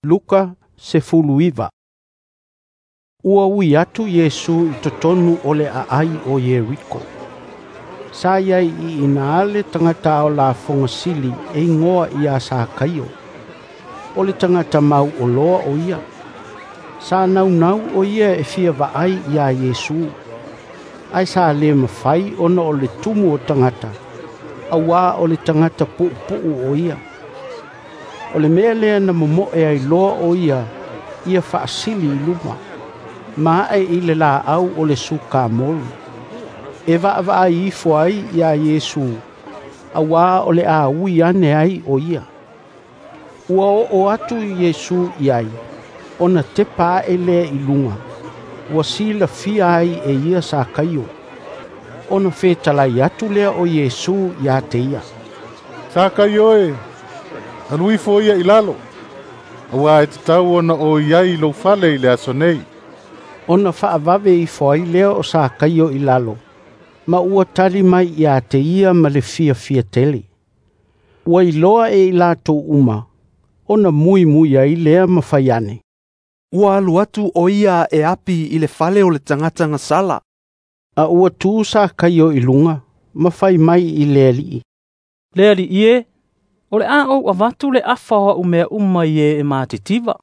Luka 19. Ua ui atu Iesu i totonu o le aai o Ieriko. Sa iai i ina le tagata ao lafoga sili e igoa ia Sakaio. O le tagata mauoloa o ia. Sa naunau o ia e fia vaai ia Iesu. Ae sa le mafai ona o le tumu o tagata, auā o le tagata puupuu o ia. O le mea lea na momoe ai loa o ia ia faasili i luma, ma ae i le laau o le sukamolu, e vaavaai ifo ai ia Iesu, auā o le a ui ane ai o ia. Ua oo atu Iesu i ai, ona tepa ae lea i luga, ua silafia ai e ia Sakaio. Ona fetalai atu lea o Iesu ia te ia, "Sakaio e, alu ifo ia i lalo, auā e tatau ona o i ai i lou fale i le aso nei." Ona faavave ifo ai lea o Sakaio i lalo, ma ua tali mai ia te ia ma le fiafia tele. Ua iloa e i latou uma, ona muimui ai lea ma fai ane, "Ua alu atu o ia e api i le fale o le tagata gasala." A ua tu Sakaio i luga, ma fai mai i le Alii, "Le Alii e, o le a ou avatu le afa o au mea uma i e e matitiva.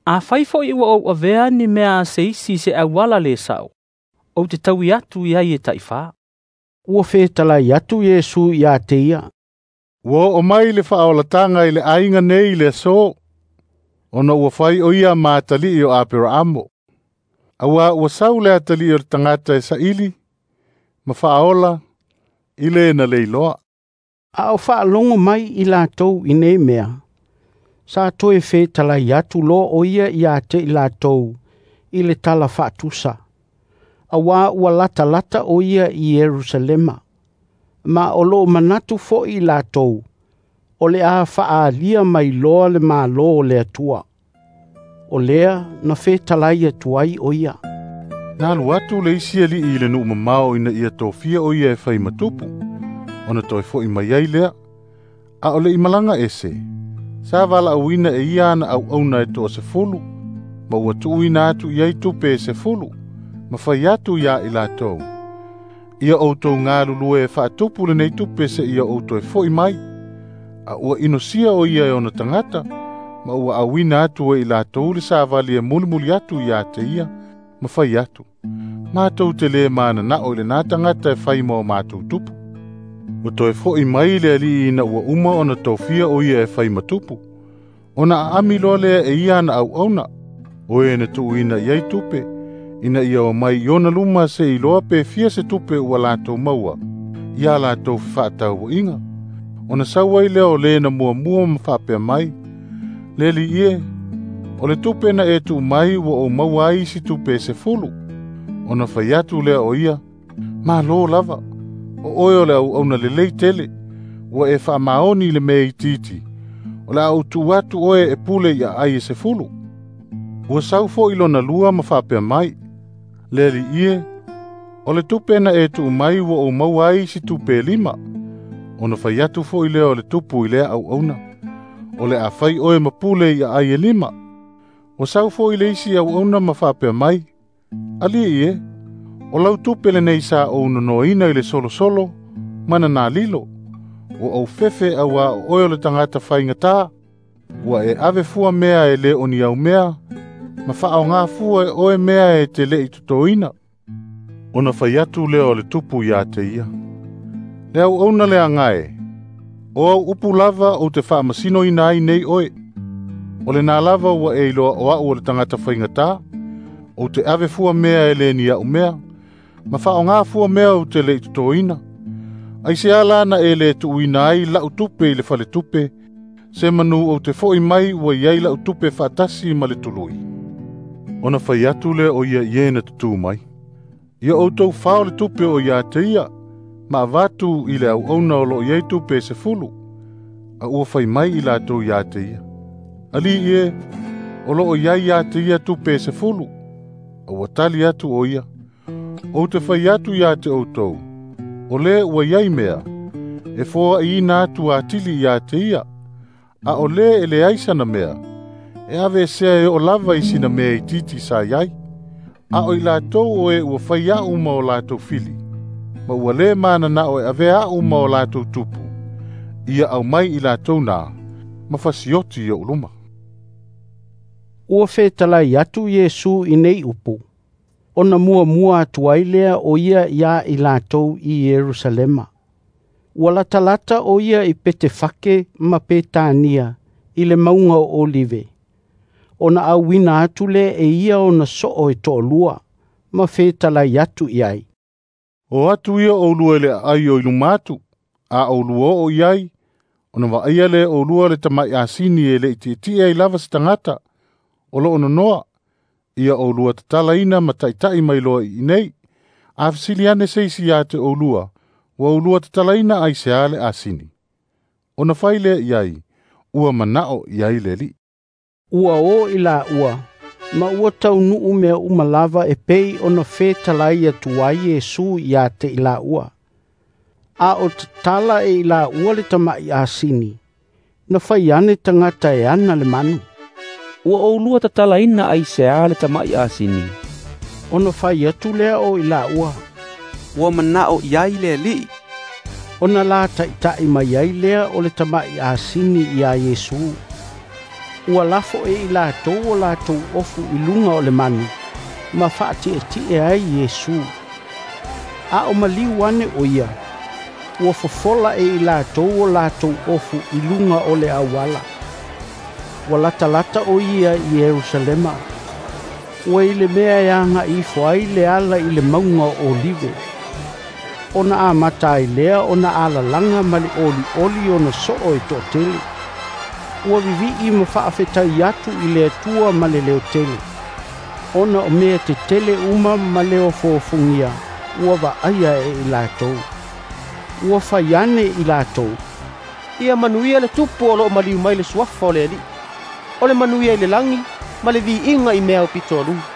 Afai foi ua ou avea ni mea a se isi i se auala le sao, ou te taui atu i ai e taifā." Ua fetalai atu Iesu ia te ia, "Ua oo mai le faaolataga i le aiga nei i le aso, ona ua fai o ia ma atalii o Aperaamo. Auā ua sau le atalii o le tagata e saili, ma faaola, i le na le iloa." A o faalogo mai i latou i nei mea, sa toe fetalai atu loa o ia ia te i latou i le tala faatusa, auā ua latalata o ia i Ierusalema, ma o loo manatu foi i latou, o le a faaalia mai loa le Malo o le Atua. O lea na fetalai atu ai o ia. Na alu atu le isi alii i le nuu mamao ina ia tofia o ia e fai ma tupu, ona toe foi mai ai lea. A o le i malaga ese, sa valaauina e ia ana auauna e 10, ma ua tuuina atu i ai tupe e 10, ma fai atu ia i latou, "Ia outou galulue e faatupu lenei tupe seia ou toe foi mai." A ua inosia o ia e ona tagata, ma ua auina atu e i latou le savali e mulimuli atu ia te ia, ma fai atu, "Matou te le mananao i lena tagata e fai ma o matou tupu." Ua toe foi mai le alii ina ua uma ona tofia o ia e fai ma tupu, ona aami loa lea e ia ana auauna, o e na tuuina i ai tupe, ina ia o mai i ona luma se iloa pe fia se tupe ua latou maua, ia latou fefaatauaiga. Ona sau ai lea o le na muamua ma faapea mai, "Le alii e, o le tupe na e tuu mai ua ou maua ai isi tupe e 10." Ona fai atu lea o ia, "Malo lava, o oe o le auauna lelei tele, ua e faamaoni i le mea itiiti, o le a ou tuu atu oe e pule i aai e 10. Ua sau foi lona lua ma faapea mai, "Le alii e, o le tupe na e tuu mai ua ou maua ai isi tupe e 5. Ona fai atu foi lea o le tupu i lea auauna, "O le a fai oe ma pule i aai e 5. Ua sau foi le isi auauna ma faapea mai, "Alii e, o lau tupe lenei sa ou nonoina i le solosolo ma na lilo. Ua ou fefe auā o oe o le tagata faigata. Ua e ave fua mea e le o ni au mea, ma faaaoga fua e oe mea e te le i totoina." Ona fai atu lea o le tupu ia te ia, "Le auauna le agae, o au upu lava ou te faamasinoina ai nei oe. O lena lava ua e iloa o au o le tagata faigata, ou te ave fua mea e le ni au mea, ma faaaoga fua mea ou te le i totoina. Ai se ala na e le tuuina ai lau tupe i le faletupe, se manu ou te foi mai ua i ai lau tupe faatasi ma le tului." Ona fai atu lea o ia i e na tutū mai, "Ia outou fao le tupe o ia te ia, ma avatu i le auauna o loo i ai tupe e 10. A ua fai mai i latou ia te ia, "Alii e, o loo i ai ia te ia tupe e 10. A ua tali atu o ia, "Ou te fai atu ia te outou, o le ua i ai mea, e foaiina atu atili ia te ia, a o le e leai sana mea, E aveesea e oo lava i sina mea itiiti sa i ai. A o i latou o e ua fai a'u ma o latou fili, ma ua lē manana'o e avea a'u ma o latou tupu, ia aumai i latou na, ma fasioti i o'u luma. Ua fetalai atu Iesu i nei upu, ona muamua atu ai lea o ia iā i latou i Ierusalema. Ua latalata o ia i Petefake ma Petania i le mauga o Olive. Ona auina atu lea e ia ona soo e toalua, ma fetalai atu i ai. O atu ia oulua i le aai o i luma atu, a oulua oo i ai, ona vaaia lea e oulua le tama'i asini e le'i tietie ai lava se tagata, o loo nonoa, ia oulua tatalaina ma taita'i mai loa i inei. A fesili ane se isi iā te oulua, ua oulua tatalaina aisea le asini. Ona fai lea i ai, ua mana'o i ai le Alii. Ua o i laua, ma ua taunuu mea uma lava e pei ona fetalai atu ai Iesu iā te i laua. A o tatala e i laua le tama'i asini, na fai ane tagata e ana le manu. Ua oulua tatalaina aisea le tama'i asini. Ona fai atu lea o i laua. Ua mana'o i ai le Alii. Ona la taita'i mai ai lea o le tama'i asini iā Iesu. Ua lafo e i latou o latou ofu i luga o le manu, ma faatietie ai Iesu. A o maliu ane o ia, ua fofola e i latou o latou ofu i luga o le auala. Ua latalata o ia i Ierusalema. Ua i le mea e aga'i ifo ai le ala i le mauga o Olive. Ona amata ai lea ona alalaga ma le olioli ona soo e toatele. Ua vivi'i ma faafetai atu i le Atua ma le leotele. Ona o mea tetele uma ma le ofoofogia ua vaaia e i latou. Ua fai ane i latou. Ia manuia le tupu o loo maliu mai le suafa o le Alii. O le manuia i le lagi ma le viiga i mea aupito aluga.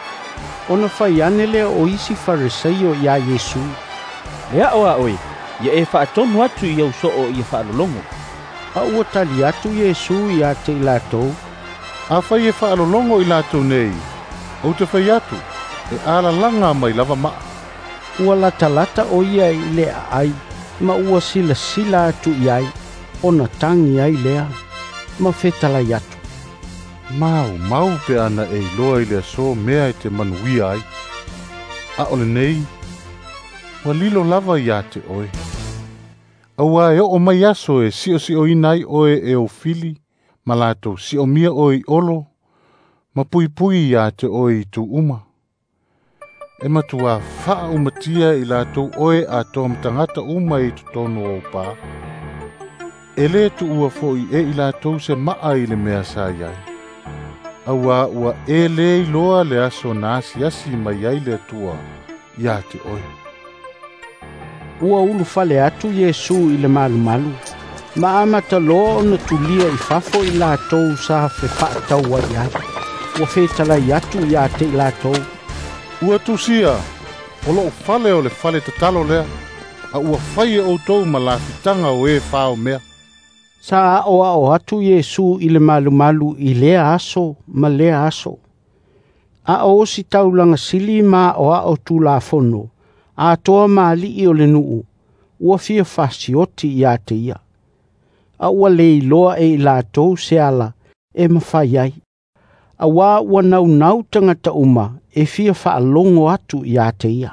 Ona fai ane lea o isi Farisai iā Iesu. Le a'o a oe, ia e faatonu atu i au soo ia faalologo. A ua tali atu Iesu iā te i latou. Afai e faalologo i latou nei, ou te fai atu, e alalaga mai lava ma'a. Ua latalata o ia i le aai, ma ua silasila atu i ai, ona tagi ai lea, ma fetalai atu. Maumau pe ana e iloa i le aso mea e te manuia ai. A o lenei, ua lilo lava iā te oe. Auā e oo mai aso e si'osi'oina ai oe e ou fili, ma latou si'omia oe i olo, ma puipui iā te oe i itu uma. E matuā faaumatia i latou oe atoa ma tagata uma i totonu o ou pā. E lē tuua fo'i e i latou se ma'a i le mea sa i ai. Auā ua e lē iloa le aso na asiasi mai ai le Atua iā te oe. Ua ulufale atu Iesu i le malumalu, ma amata loa ona tulia i fafo i latou sa fefaatau ai ai. Ua fetalai atu iā te i latou. Ua tusia, o lo'u fale o le fale tatalo lea, a ua fai e outou ma lafitaga o e fao mea. Sa a'oa'o atu Iesu i le malumalu i lea aso ma lea aso. A o ositaulaga sili ma a'oa'o Tulafono, atoa ma ali'i o le nuu, ua fia fasioti iā te ia. A ua le iloa e i latou se ala e mafai ai. Auā ua naunau tagata uma e fia faalogo atu iā te ia.